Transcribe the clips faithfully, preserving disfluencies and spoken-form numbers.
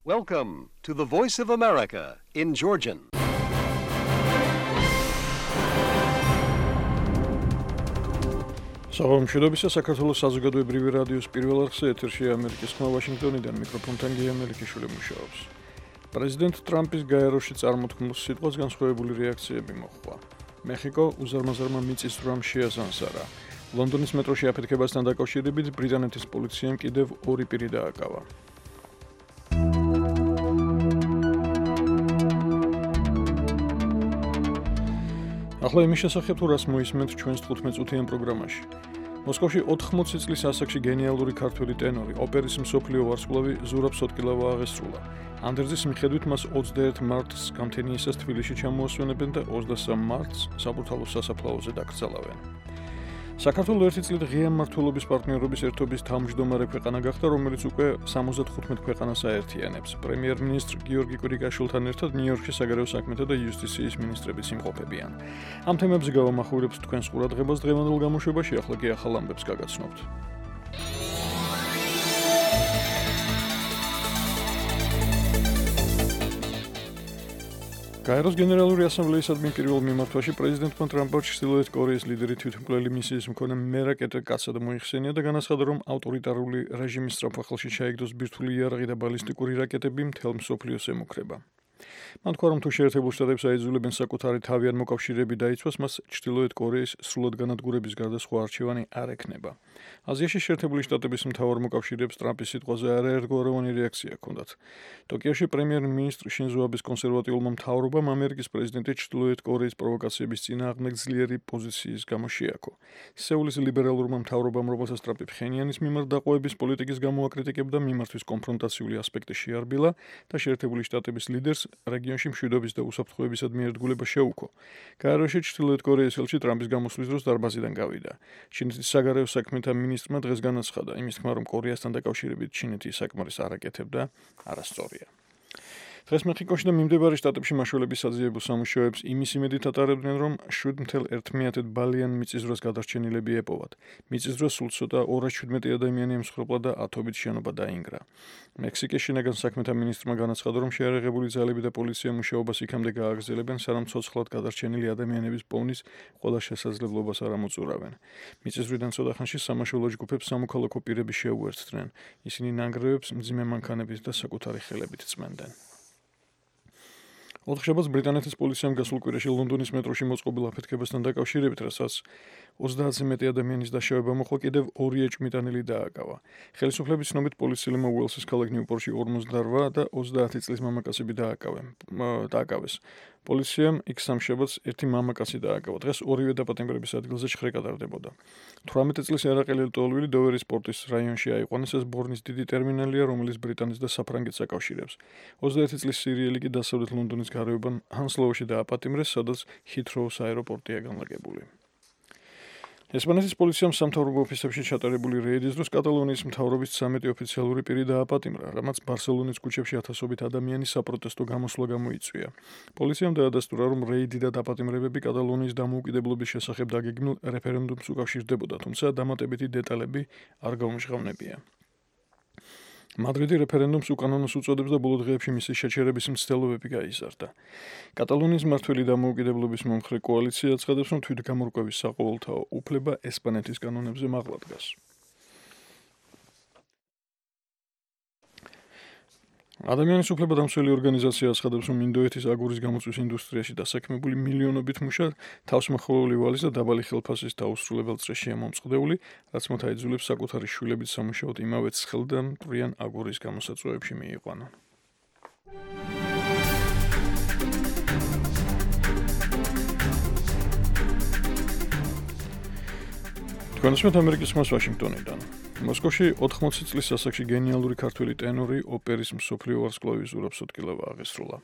Welcome to the Voice of America in Georgian. Საღამოშობისა საქართველოს საზოგადოებრივი რადიოს პირველ არხზე ეთერშია ამერიკის ხმა ვაშინგტონიდან მიკროფონთან გია მელიქიშვილი მუშაობს. პრეზიდენტ ტრამპის გაეროში წარმოთქმულ სიტყვას განსხვავებული რეაქციები მოჰყვა. მეხიკო უზარმაზარმა მიწისძვრამ შეასანსარა. ლონდონის მეტროში აფეთქებასთან დაკავშირებით ბრიტანეთის პოლიციამ კიდევ ორი პირი დააკავა. ახლა იმის შესახებ თუ რას მოისმენთ ჩვენს თხუთმეტ წუთიან პროგრამაში. მოსკოვში ოთხმოცი წლის ასაკში გენიალური ქართველი ტენორი, ოპერის მსოფლიო ვარსკვლავი ზურაბ სოტკილავა აღესრულა. ანდერძის მიხედვით მას ოცდაერთ მარტს გამთენიისას თბილისში ჩამოასვენებენ და ოცდასამ მარტს საბურთალოს სასაფლაოზე დაკრძალავენ. საქართველოს ერთი წლით ღია მმართველობის პარტნიორობის ერთობის თავმჯდომარე ქვეყანა გახდა, რომელიც უკვე სამოცდათხუთმეტ ქვეყანას აერთიანებს. პრემიერ-მინისტრ გიორგი კვირიკაშვილთან ერთად ნიუ-იორკში საგარეო საქმეთა და იუსტიციის მინისტრებიც იმყოფებიან. ამ თემებზე გავამახვილებთ თქვენს ყურადღებას დღევანდელ გამოშვებაში, ახლა კი ახალ ამბებს გაგაცნობთ. გაეროს გენერალური ასამბლეისადმი პირველ მიმართვაში პრეზიდენტმა ტრამპმა ჩრდილოეთ კორეის ლიდერი თვითმკვლელი მისიის მქონე მერაკეტ კაცად მოიხსენია და განაცხადა, რომ ავტორიტარული რეჟიმის სწრაფხალხში ჩაიგდოს ბირთვული იარაღი და ბალისტიკური რაკეტები მთელ მსოფლიოს ემუქრება. მან თქვა, რომ თუ შეერთებულ შტატებს აიძულებენ საკუთარი თავიანთ მოკავშირეები დაიცვას, მას ჩრდილოეთ კორეის სრულად განადგურების გარდა სხვა არჩევანი არ ექნება. აზიაში შეერთებული შტატების მთავარ მოკავშირეებს ტრამპის სიტყვაზე არაერთგვაროვანი რეაქცია ჰქონდათ. ტოკიოში პრემიერ-მინისტრ შინზო აბეს კონსერვატიულმა მთავრობამ ამერიკის პრეზიდენტი ჩრდილოეთ კორეის პროვოკაციების წინააღმდეგ ძლიერი პოზიციის გამო შეაქო. სეულის ლიბერალურმა მთავრობამ, რომელსაც ტრამპი ფხენიანის მიმართ დაყოების პოლიტიკის გამო აკრიტიკებდა, მიმართვის კონფრონტაციული ასპექტი შეარბილა და შეერთებული შტატების ლიდერს რეგიონში მშვიდობის და უსაფრთხოებისადმი ერთგულება შეუქო. გაეროში ჩრდილოეთ კორეის ელჩი ტრამპის გამოსვლის დროს დარბაზიდან გავიდა. ჩინეთის საგარეო საქმეთა მინისტრმა დღეს განაცხადა, იმის თქმა, რომ კორეასთან დაკავშირებით ჩინეთი საკმარის არ აკეთებდა, არასწორია. დღეს მეხიკოში და მიმდებარე შტატებში მაშველების საძიებო სამუშაოებს იმის იმედით ატარებდნენ, რომ შვიდ მეთერთმეტ ერთმეათე ბალიან მიწისძვრას გადარჩენილები ეპოვათ. მიწისძვრას სულ ცოტა ორას შვიდმეტი ადამიანი ემსხვერპლა და ათობით შენობა დაინგრა. მექსიკის შინაგან საქმეთა მინისტრმა განაცხადა, რომ შეიარაღებული ძალები და პოლიცია მუშაობას იქამდე გააგრძელებენ, სანამ ცოცხლად გადარჩენილი ადამიანების პოვნის ყველა შესაძლებლობას არ ამოწურავენ. მიწისძვრიდან ცოტახანში სამაშველო ჯგუფებს სამოქალაქო პირები შეუერთდნენ. ისინი ნანგრევებს მძიმე მანქანებით და საკუთარი ხელებით წმენდნენ. ოთხშაბათს ბრიტანეთის პოლიციამ გასულ კვირაში ლონდონის მეტროში მოწყობილ აფეთქებასთან დაკავშირებით, რასაც ოცდაათზე მეტი ადამიანის დაშავება მოხდა, კიდევ ორი ეჭვმიტანილი დააკავა. ხელისუფლების ცნობით პოლიციელებმა უელსის ქალაქ ნიუპორტში ორმოცდარვა და ოცდაათი წლის მამაკაცები დააკავეს. პოლიციამ იქ სამშაბათს ერთი მამაკაცი დააკავა. დღეს ორივე დაპატიმრების ადგილზე ჩხრე კატარდებოდა. თვრამეტი წლის ერაყელი ლტოლვილი დოვერის პორტის რაიონში აიყვანეს. ეს ბორნის დიდი ტერმინალია, რომელიც ბრიტანეთს და საფრანგეთს აკავშირებს. ოცდაერთი წლის სირიელი კი დასავლეთ ლონდონის გარეუბან ჰანსლოუში დააპატიმრეს, სადაც ჰითროუს აეროპორტია განლაგებული. ესპანეთის პოლიციამ სამთავრობო ოფისებში ჩატარებული რეიდის დროს კატალონიის მთავრობის ცამეტი ოფიციალური პირი დააპატიმრა, რამაც ბარსელონის ქუჩებში ათასობით ადამიანის საპროტესტო გამოსვლა გამოიწვია. პოლიციამ დაადასტურა, რომ რეიდი და დაპატიმრებები კატალონიის დამოუკიდებლობის შესახებ დაგეგმილ რეფერენდუმს უკავშირდებოდა, თუმცა დამატებითი დეტალები არ გაუმჟღავნებია. მადრიდი რეფერენდუმს უკანონოს უწოდებს და ბოლო დღეებში მისი შეჩერების მცდელობები გაიზარდა. კატალონიის მმართველი დამოუკიდებლობის მომხრე კოალიცია აცხადებს, რომ თვითგამორკვევის საყოველთაო უფლება ესპანეთის კანონებზე მაღლა დგას. ადამიანის უფლება დამცველი ორგანიზაცია აცხადებს, რომ ინდოეთის აგურის გამოწვის ინდუსტრიაში დასაქმებული მილიონობით მუშა თავსმხოლოვი ვალის და დაბალი ხელფასის დაუსრულებელ წრეშია მომწყდეული, რაც მათ აიძულებს საკუთარი შვილებით სამუშაოდ იმავე ცხელ და მტვრიან აგურის გამოსაწვევებში მიიყვანა. თქვენსმეთ ამერიკის ხმას ვაშინგტონიდან. მოსკოვში ოთხმოცი წლის ასაკში გენიალური ქართველი ტენორი ოპერის მსოფლიო ვარსკვლავი ზურაბ სოტკილავა აღესრულა.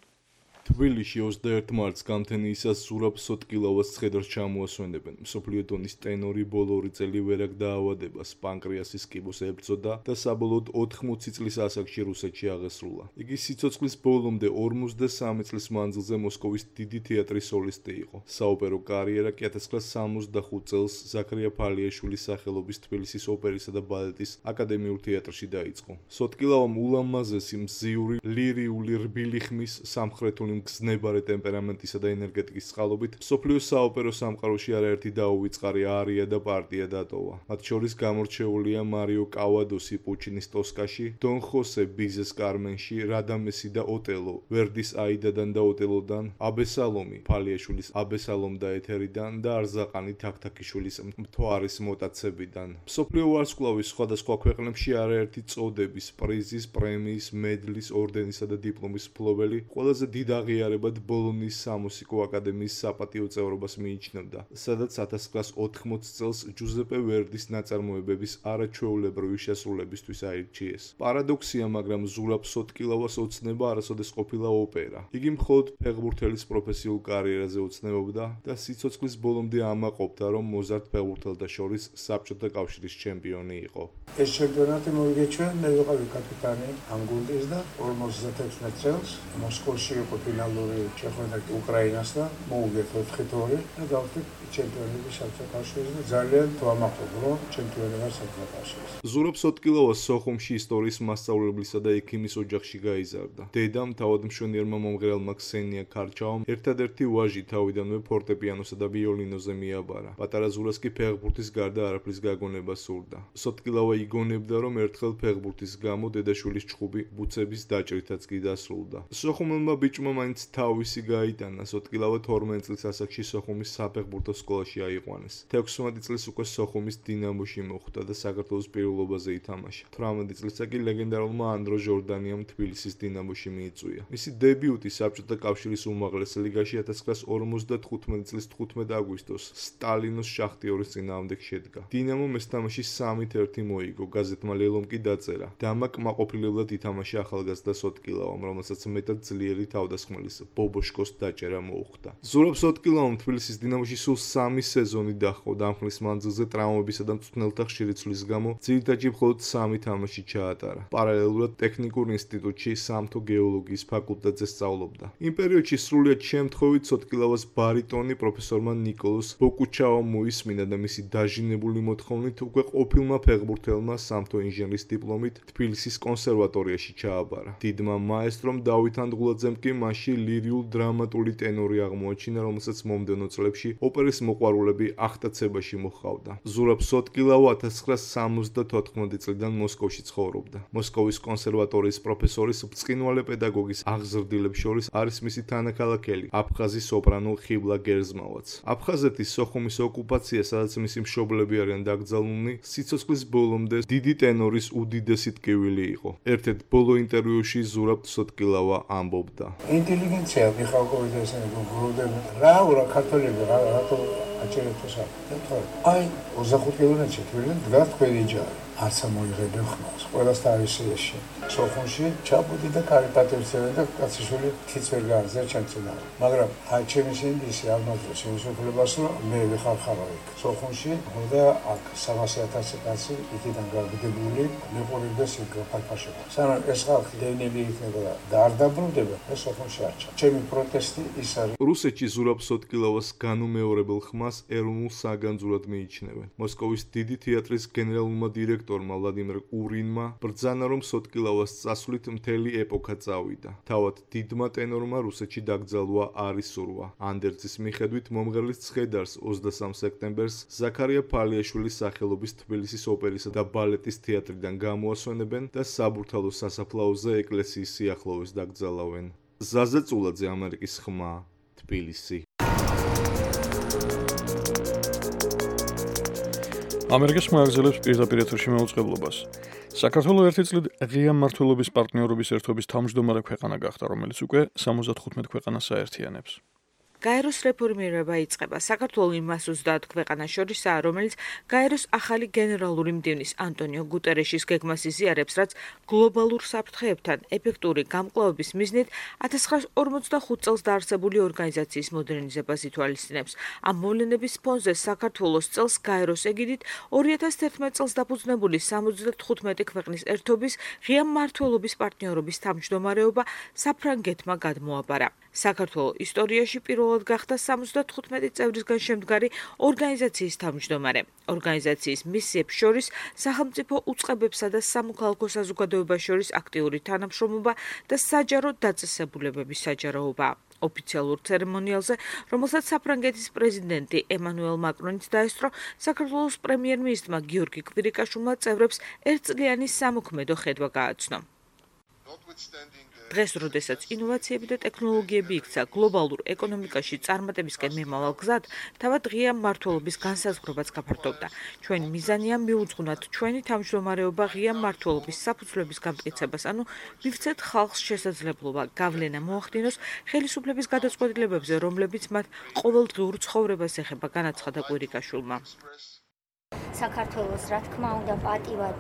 თბილისში ოცდაერთი მარტს გამთენიისას ზურაბ სოტკილავას ცხედარს ჩამოასვენებენ. მსოფლიო დონის ტენორი ბოლო ორი წელი ვერაგ დაავადებას, პანკრეასის კიბოს ებრძოდა და საბოლოოდ ოთხმოცი წლის ასაკში რუსეთში აღესრულა. იგი სიცოცხლის ბოლომდე ორმოცდასამი წლის მანძილზე მოსკოვის დიდი თეატრის სოლისტი იყო. საოპერო კარიერა კი ათას ცხრაასა სამოცდახუთ წელს ზაქარია ფალიაშვილის სახელობის თბილისის ოპერისა და ბალეტის აკადემიურ თეატრში დაიწყო. სოტკილავამ ულამაზესი მზიური, ლირიული, რბილი ხმის, სამხრეთული მგზნებარე ტემპერამენტისა და ენერგეტიკის წყალობით მსოფლიო საოპერო სამყაროში არაერთი დაუვიწყარი არია და პარტია დატოვა. მათ შორის გამორჩეულია მარიო კავადოსი პუჩინის ტოსკაში, დონ ხოსე ბიზეს კარმენში, რადამესი და ოტელო, ვერდის აიდადან და ოტელოდან, აბესალომი ფალიაშვილის აბესალომ და ეთერიდან და არზაყანი თაქთაქიშვილის მთვარის მოტაცებიდან. მსოფლიო ვარსკვლავის სხვადასხვა ქვეყნებში არაერთი წოდების, პრიზის, პრემიის, მედლის, ორდენისა და დიპლომის მფლობელი ყველაზე დიდ აღიარებად ბოლონის სამუსიკო აკადემიის საპატიო წევრობას მიიჩნევდა, სადაც ათას ცხრაასა ოთხმოცი წელს ჯუზეპე ვერდის ნაწარმოებების არაჩვეულებრივი შესრულებისთვის აირჩიეს. პარადოქსია, მაგრამ ზურაბ სოტკილავას ოცნება არასოდეს ყოფილა ოპერა. იგი მხოლოდ ფეხბურთელის პროფესიულ კარიერაზე ოცნებობდა და სიცოცხლის ბოლომდე ამაყობდა, რომ მოზარდ ფეხბურთელთა შორის საბჭოთა კავშირის ჩემპიონი იყო. ეს ჩემპიონატი მოიგეჩვია, მე ვიყავი კაპიტანი ამ გუნდის და ორმოცდათექვსმეტ წელს მოსკოვში იყო ფინალური შეხვედრა უკრაინას და მოუგეთ ოთხი თორი და გავხდით ჩემპიონები საბჭოთა კავშირის და ძალიან ვამაყობ, რომ ჩემპიონი ვარ საბჭოთა კავშირის. ზურაბ სოტკილავა სოხუმში ისტორიის მასწავლებლისა და ექიმის ოჯახში გაიზარდა. დედამ თავად მშვენიერმა მომღერალმა ქსენია ქარჩაომ ერთადერთი ვაჟი თავიდანვე ფორტეპიანოსა და ვიოლინოზე მიაბარა. პატარა ზურას კი ფეხბურთის გარდა არაფრის გაგონება სურდა. სოტკილავა იგონებდა, რომ ერთხელ ფეხბურთის გამო დედაშვილის ჩხუბი ბუცების დაჭრითაც კი დასრულდა. სოხუმელმა ბიჭმა მაინც თავისი გაიტანა. სოტკილავა თორმეტ წლის ასაკში სოხუმის საფეხბურთო სკოლაში აიყვანეს. თექვსმეტი წლის უკვე სოხუმის დინამოში მოხვდა და საქართველოს პირველობაზე ითამაშა. თვრამეტი წლისა კი ლეგენდარულმა ანდრო ჟორდანიამ თბილისის დინამოში მიიწვია. მისი დებიუტი საბჭოთა კავშირის უმაღლეს ლიგაში ათას ცხრაასა ორმოცდათხუთმეტი წლის თხუთმეტ აგვისტოს სტალინოს შახტიორის წინააღმდეგ შედგა. დინამომ ეს თამაში სამით ერთი მოიგო. გაზეთმა ლელომ კი დაწერა. დამა კმაყოფილებლად ითამაშა ახალგაზრდა სოტკილავამ, რომელსაც მეტად ძლიერი თავდასხმელის ბობოშკოს დაჭერა მოუხდა. ზურაბ სოტკილავამ თბილისის დინამოში სულ სამი სეზონი დაჰყო. დამხმლის მანძილზე ტრავმებისა და მწვრთნელთა ხშირი ცვლის გამო ძირითადად მხოლოდ სამი თამაში ჩაატარა. პარალელურად ტექნიკურ ინსტიტუტში სამთო გეოლოგიის ფაკულტეტზე სწავლობდა. იმ პერიოდში სრულიად შემთხვევით სოტკილავას ბარიტონი პროფესორმა ნიკოლოზ ბოკუჩავამ მოისმინა და მისი დაჟინებული მოთხოვნით უკვე ყოფილმა ფეხბურთელმა სამთო ინჟინრის დიპლომით თბილისის კონსერვატორიაში ჩააბარა. დიდმა მაესტრომ დავით ანდღულაძემ კი მასში ლირიულ-დრამატული ტენორი აღმოაჩინა, რომელსაც მომდევნო წლებში ოპერის მოყვარულები ახტაცებაში მოჰყავდა. ზურაბ სოტკილავა ათას ცხრაასა სამოცდათოთხმეტი წლიდან მოსკოვში ცხოვრობდა. მოსკოვის კონსერვატორიის პროფესორის ბრწყინვალე პედაგოგის აღზრდილებს შორის არის მისი თანაქალაქელი, აფხაზი სოპრანო ხიბლა გერზმავაც. აფხაზეთის სოხუმის ოკუპაცია, სადაც მისი მშობლები არიან დაკრძალულნი, სიცოცხლის ბოლომდე დიდი ტენორის უდიდესი ტკივილი იყო. ერთ-ერთ ბოლო ინტერვიუში ზურაბ სოტკილავა ამბობდა: ინტელიგენცია მიხალკოვით ესენი გროვდება. რა ურა ქართველები რა რატო აჭერეთ ესა? აი, ოცდახუთ კილომეტრში თბილისიდან დგას თქვენი ჯარი. არც ამოიღებენ ხმას. ყველას თავისიაში. სოხუმში ჩაბუდი და კარიტატივცები და კაციშვილი თიც ვერ გაარზია ჩემცენა. მაგრამ აი ჩემი სინდისი აღმოჩნდა იმის უფლებას, რომ მე ვიხარხარო იქ. სოხუმში და აქ სამასი ათასი კაცი იქიდან გავგდებული მეყურებდეს იქ ფარფაშობა. სანამ ეს ხალხი დევნილი იქნება და არ დაბრუნდება, ეს სოხუმში არ ჩა. ჩემი პროტესტი ის არის. რუსეთში ზურაბ სოტკილავას განუმეორებელ ხმას ეროვნულ საგანძურად მიიჩნევენ. მოსკოვის დიდი თეატრის გენერალურმა დირექტორმა ვლადიმერ კურინმა ბრძანა, რომ სოტკილავას წასვლით მთელი ეპოქა წავიდა. თავად დიდმა ტენორმა რუსეთში დაკრძალვა არ ისურვა. ანდერძის მიხედვით მომღერლის ცხედარს ოცდასამ სექტემბერს ზაქარია ფალიაშვილის სახელობის თბილისის ოპერისა და ბალეტის თეატრიდან გამოასვენებენ და საბურთალო სასაფლაოზე ეკლესიის სიახლოვეს დაკრძალავენ. ზაზა წულაძე, ამერიკის ხმა, თბილისი. ამერიკის ხმა აგრძელებს პირდაპირ ეთერში მეუწყებლობას. საქართველოს ერთი წლით ღია მმართველობის პარტნიორობის ერთობის თავმჯდომარე ქვეყანა გახდა, რომელიც უკვე სამოცდათხუთმეტ ქვეყანას აერთიანებს. გაეროს რეფორმირება იწყება. საქართველოს იმას ოცდაათ ქვეყანას შორისაა, რომელიც გაეროს ახალი გენერალური მდივნის ანტონიო გუტერეშის გეგმას იზიარებს, რაც გლობალურ საფრთხეებთან ეფექტური გამკლავების მიზნით ათას ცხრაასა ორმოცდახუთ წელს დაარსებული ორგანიზაციის მოდერნიზებას ითვალისწინებს. ამ მოვლენების ფონზე საქართველოს წელს გაეროს ეგიდით ორი ათას თერთმეტ წელს დაფუძნებული სამოცდათხუთმეტი ქვეყნის ერთობის ღია მმართველობის პარტნიორობის თავმჯდომარეობა საფრანგეთმა გადმოაბარა. საქართველოს ისტორიაში პირველად გახდა სამოცდათხუთმეტი წევრისგან შემდგარი ორგანიზაციის თავმჯდომარე. ორგანიზაციის მისიებს შორის სახელმწიფო უწყებებსა და სამოქალაქო საზოგადოებას შორის აქტიური თანამშრომლობა და საჯარო დაწესებულებების საჯაროობა. ოფიციალურ ცერემონიალზე, რომელსაც საფრანგეთის პრეზიდენტი ემანუელ მაკრონიც დაესწრო, საქართველოს პრემიერ-მინისტრმა გიორგი კვირიკაშვილმა წევრებს ერთწლიანი სამოქმედო ხედვა გააცნო. დღეს, როდესაც ინოვაციები და ტექნოლოგიები იქცა გლობალურ ეკონომიკაში წარმატებისკენ მიმავალ გზად, თავად ღია მმართველობის განსაზღვრებაც გაფართოვდა. ჩვენი მიზანია მიუძღვნათ ჩვენი თავმჯდომარეობა ღია მმართველობის საფუძვლების გამტკიცებას, ანუ მივცეთ ხალხს შესაძლებლობა გავლენა მოახდინოს ხელისუფლების გადაწყვეტილებებზე, რომლებიც მათ ყოველდღიურ ცხოვრებას ეხება, განაცხადა კვირიკაშვილმა. საქართველოს, რა თქმა უნდა, პატივად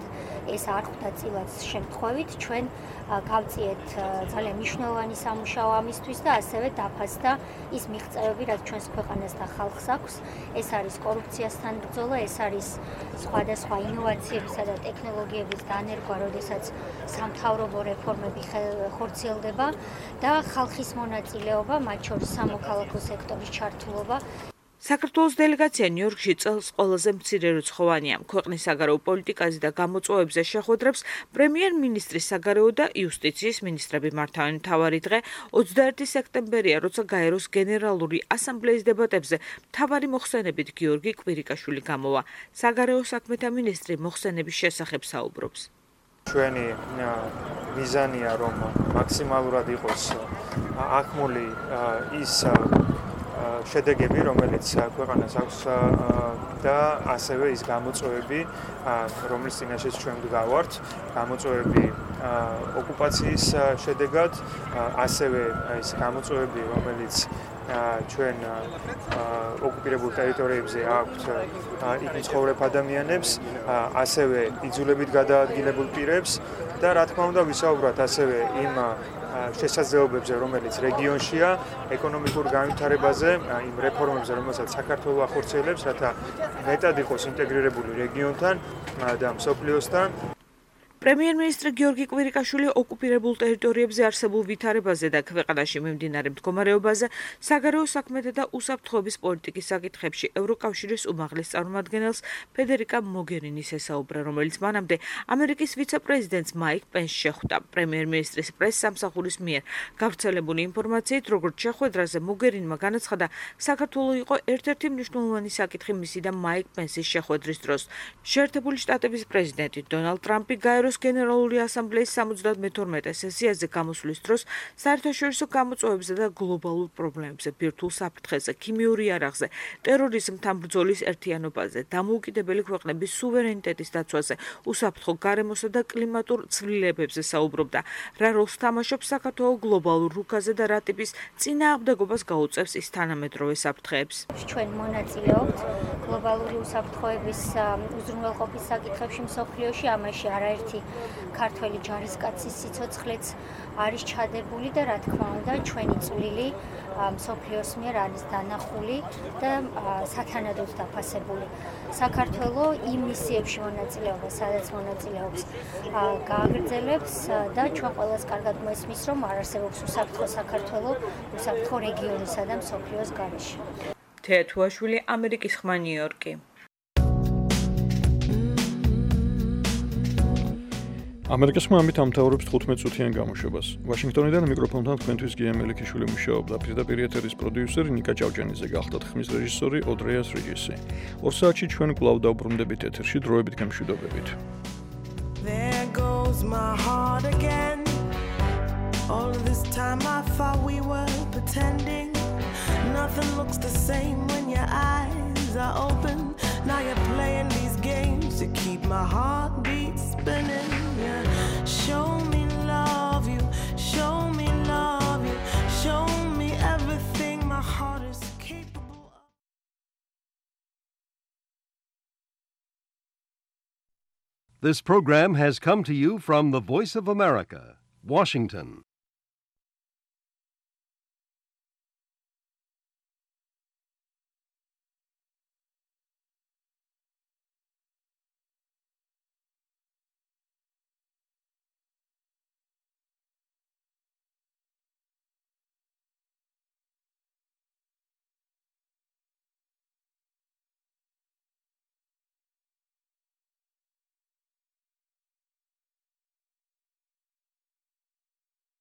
ეს არ ხვდა წილად შემთხვევით, ჩვენ გავწიეთ ძალიან მნიშვნელოვანი სამუშაო ამისთვის და ასევე დაფასდა ის მიღწევები, რაც ჩვენს ქვეყანას და ხალხს აქვს. ეს არის კორუფციასთან ბრძოლა, ეს არის სხვადასხვა ინოვაციებისა და ტექნოლოგიების დანერგვა, როდესაც სამთავრობო რეფორმები ხორციელდება და ხალხის მონაწილეობა, მათ შორის სამოქალაქო სექტორის ჩართულობა. საქართველოს დელეგაცია ნიუ-იორკში წელს ყველაზე მცირე რიცხოვანია. ქვეყნის საგარეო პოლიტიკაზე და გამოწვევებზე შეხვედრებს პრემიერ-მინისტრის საგარეო და იუსტიციის მინისტრები მართავენ. მთავარი დღე ოცდაერთი სექტემბერია, როცა გაეროს გენერალური ასამბლეის დებატებზე მთავარი მოხსენებით გიორგი კვირიკაშვილი გამოვა. საგარეო საქმეთა მინისტრი მოხსენების შესახებ საუბრობს. ჩვენი მიზანია, რომ მაქსიმალურად იყოს აღქმული ის შედეგები, რომელიც ქვეყანას აქვს და ასევე ის გამოწვევები, რომლის წინაშეც ჩვენ ვდგავართ, გამოწვევები ოკუპაციის შედეგად, ასევე ის გამოწვევები, რომელიც ჩვენ ოკუპირებულ ტერიტორიებზე აქვთ იქ მცხოვრებ ადამიანებს, ასევე იძულებით გადაადგილებულ პირებს და რა თქმა უნდა ვისაუბროთ ასევე იმ შესაძლებლობებზე, რომელიც რეგიონშია, ეკონომიკურ განვითარებაზე, იმ რეფორმებზე, რომელსაც საქართველო ახორციელებს, რათა მეტად იყოს ინტეგრირებული რეგიონთან და მსოფლიოსთან. პრემიერ-მინისტრი გიორგი კვირიკაშვილი ოკუპირებულ ტერიტორიებზე არსებულ ვითარებაზე და ქვეყანაში მიმდინარე მდგომარეობაზე საგარეო საქმეთა და უსაფრთხოების პოლიტიკის საკითხებში ევროკავშირის უმაღლეს წარმომადგენელს ფედერიკა მოგერინის ესაუბრა, რომელიც მანამდე ამერიკის ვიცე-პრეზიდენტს მაიკ პენსს შეხვდა. პრემიერ-მინისტრის პრეს-სამსახურის მიერ გავრცელებული ინფორმაციით, როგორც შეხვედრაზე მოგერინმა განაცხადა, საქართველო იყო ერთ-ერთი მნიშვნელოვანი საკითხი მისი და მაიკ პენსის შეხვედრის დროს. შეერთებული შტატების პრეზიდენტი დონალდ ტრამპი გაეროს გენერალური ასამბლეის სამოცდამეთორმეტე სესიაზე გამოსვლის დროს საერთაშორისო გამოწვევებზე და გლობალურ პრობლემებზე, ბირთვულ საფრთხეზე, ქიმიურ იარაღზე, ტერორიზმთან ბრძოლის ერთიანობაზე, დამოუკიდებელი ქვეყნების სუვერენიტეტის დაცვაზე, უსაფრთხო გარემოსა და კლიმატურ ცვლილებებზე საუბრობდა. რა როლს თამაშობს საქართველო გლობალურ რუკაზე და რა ტიპის წინააღმდეგობას გაუწევს ის თანამედროვე საფრთხეებს. ჩვენ მონაწილეობთ გლობალური უსაფრთხოების უზრუნველყოფის საკითხებში მსოფლიოში, ამაში არაერთი ქართველი ჯარისკაცის სიცოცხლეც არის ჩადებული და რა თქმა უნდა ჩვენი წვლილი მსოფლიოს მიერ არის დანახული და სათანადოდ დაფასებული. საქართველო იმ მისიებში მონაწილეობა, სადაც მონაწილეობს, გააგრძელებს და ჩვენ ყველას კარგად მოესმის, რომ არ არსებობს უსაფრთხო საქართველო, უსაფრთხო რეგიონისა და მსოფლიოს გარეშე. თეა თუაშვილი, ამერიკის ხმა, ნიუ-იორკი. ამერიკის ხმამით ამთავრებს თხუთმეტ წუთიან გამოშვებას. ვაშინგტონიდან მიკროფონთან თქვენთვის გია მელიქიშვილი მუშაობდა. პირდაპირ ეთერის პროდიუსერი ნიკა ჭავჭანიძე გახდათ, ხმის რეჟისორი ოდრეას რიჯესი. ორ საათში ჩვენ კვლავ დავბრუნდებით ეთერში, დროებით გემშვიდობებით. There goes my heart again. All this time I thought we were pretending. Nothing looks the same when your eyes are open. Now you're playing these games to keep my heartbeat spinning. Yeah. Show me love you, show me love you, show me everything my heart is This program has come to you from the Voice of America, Washington.